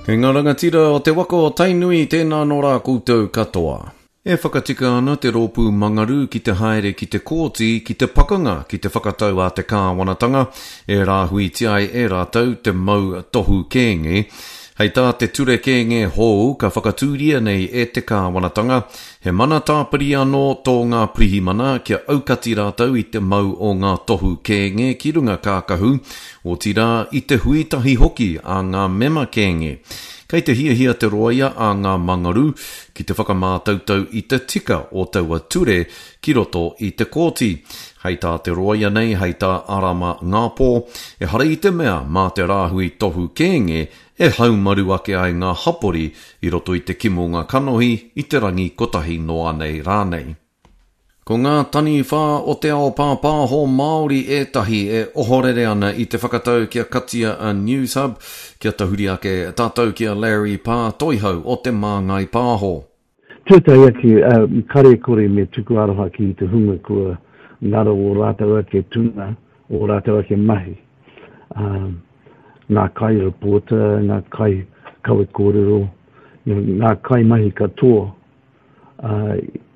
E ngā rangatira o te waka o Tainui, tēnā nō rā koutou katoa. E whakatika ana te rōpū Mangaru ki te haere ki te kōti ki te pakanga ki te whakatau a te kāwanatanga e rāhuitia ai e rātou te mau tohu kēnge. Hei tā te ture kēnge hou ka whakatūria nei e te kāwanatanga, he mana tāpiri anō tō ngā pirihimana kia aukati rātou i te mau o ngā tohu kēnge ki runga kākahu, Otirā, i te hui tahi hoki a ngā mema kēnge. Kei te hiahia te rōia a ngā Mangaru ki te whakamātautau i te tika o taua ture ki roto i te kōti. Hei tā te rōia nei, hei tā Arama Ngāpō, ehara i te mea mā te rāhui tohu kēnge e haumaru ake ai ngā hapori i roto i te kimonga kanohi i te rangi kotahi noa nei rānei. Ko ngā taniwha o te ao pāpāho Māori ētahi e ohorere ana i te whakatau kia katia a Newshub, kia tahuri ake tātou ki a Larry Pā Toihau o Te Māngai Pāho. Tuatahi ake, kare kore me tuku aroha ki te hunga kua ngaro ō rātou ake tuna, ō rātou ake mahi. Ngā kai-reporter, ngā kai kawe kōrero, ngā kaimahi katoa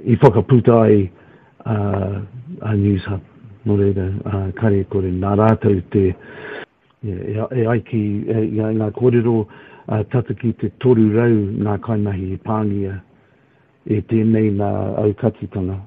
i whakaputa ai a Newshub. Nō reira, kare kore, nā rātou te, e ai ki ngā kōrero tata ki te 300 ngā kaimahi i pāngia e tēnei nā aukatitanga.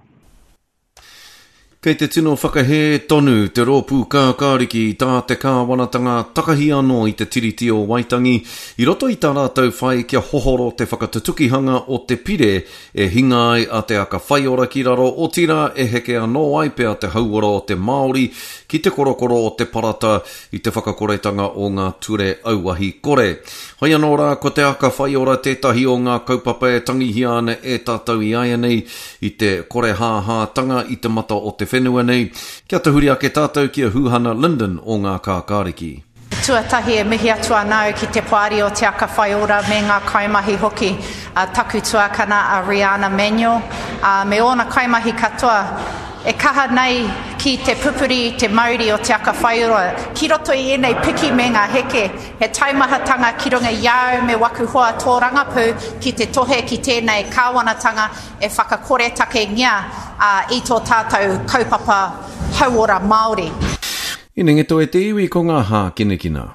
Kei te tino whakahē tonu te Rōpū Kākāriki i tā te kāwanatanga takahi anō i te Tiriti o Waitangi i roto i tā rātou whai kia hohoro te whakatutukihanga o te pire e hinga ai a Te Aka Whaiora ki raro, otirā e heke anō ai pea te hauora o te Māori ki te korokoro o te parata i te whakakoretanga o ngā ture auahi kore. Hoi anō rā, ko Te Aka Whaiora tētahi o ngā kaupapa e tangihia ana e tātou i āianei i te korehāhātanga i te mata o te whenua nei. Kia tahuri ake tātou ki a Huhana Lyndon o Ngā Kākāriki. Tuatahi e mihi atu ana au ki te Poari o Te Aka Whaiora me ngā kaimahi hoki, a taku tuakana a Riana Manuel, ā, me ōna kaimahi katoa. E kaha nei ki te pupuri i te mauri o Te Aka Whaiora ki roto i ēnei piki me ngā heke, he taumahatanga ki runga i a au me waku hoa tōrangapū ki te tohe ki tēnei kāwanatanga e whakakoretakengia i tō tātou kaupapa hauora Māori. Inengeto e te iwi ko ngā hākinakina.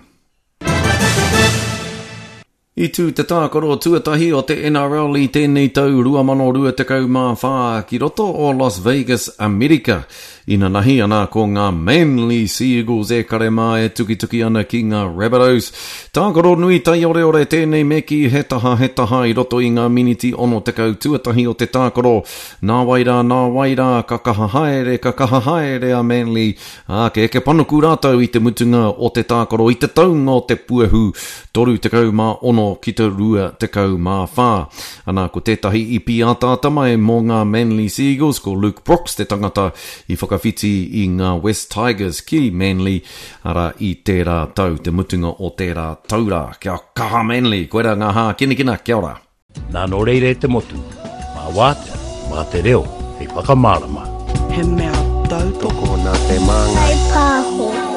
I tū te tākaro tuatahi o te NRL i tēnei tau 2024 ki roto o Las Vegas, Amerika. Inanahi ana ko ngā Manly Sea Eagles e kare mā e tukituki ana ki ngā Rabbitohs. Tākaro nui taioreore tēnei me kī he taha he taha i roto i ngā miniti 60 tuatahi o te tākaro. Nāwai rā, nāwai rā, ka kaha haere, ka kaha haere a Manly, ā, ka eke panuku rātou i te mutunga o te tākaro i te taunga o te puehu 36 ki te 24. Ana, ko tētahi i pīataata mai mō ngā Manly Sea Eagles, ko Luke Brooks te tangata i whakawhiti i ngā West Tigers ki Manly, arā, i tērā tau, te mutunga o tērā tau rā. Kia kaha Manly! Koirā ngā hākinakina, kia ora! Nā nō reira e te motu, mā wātea, mā te reo hei whakamārama. He mea tautoko. Tokona te māngai. Whai pāho.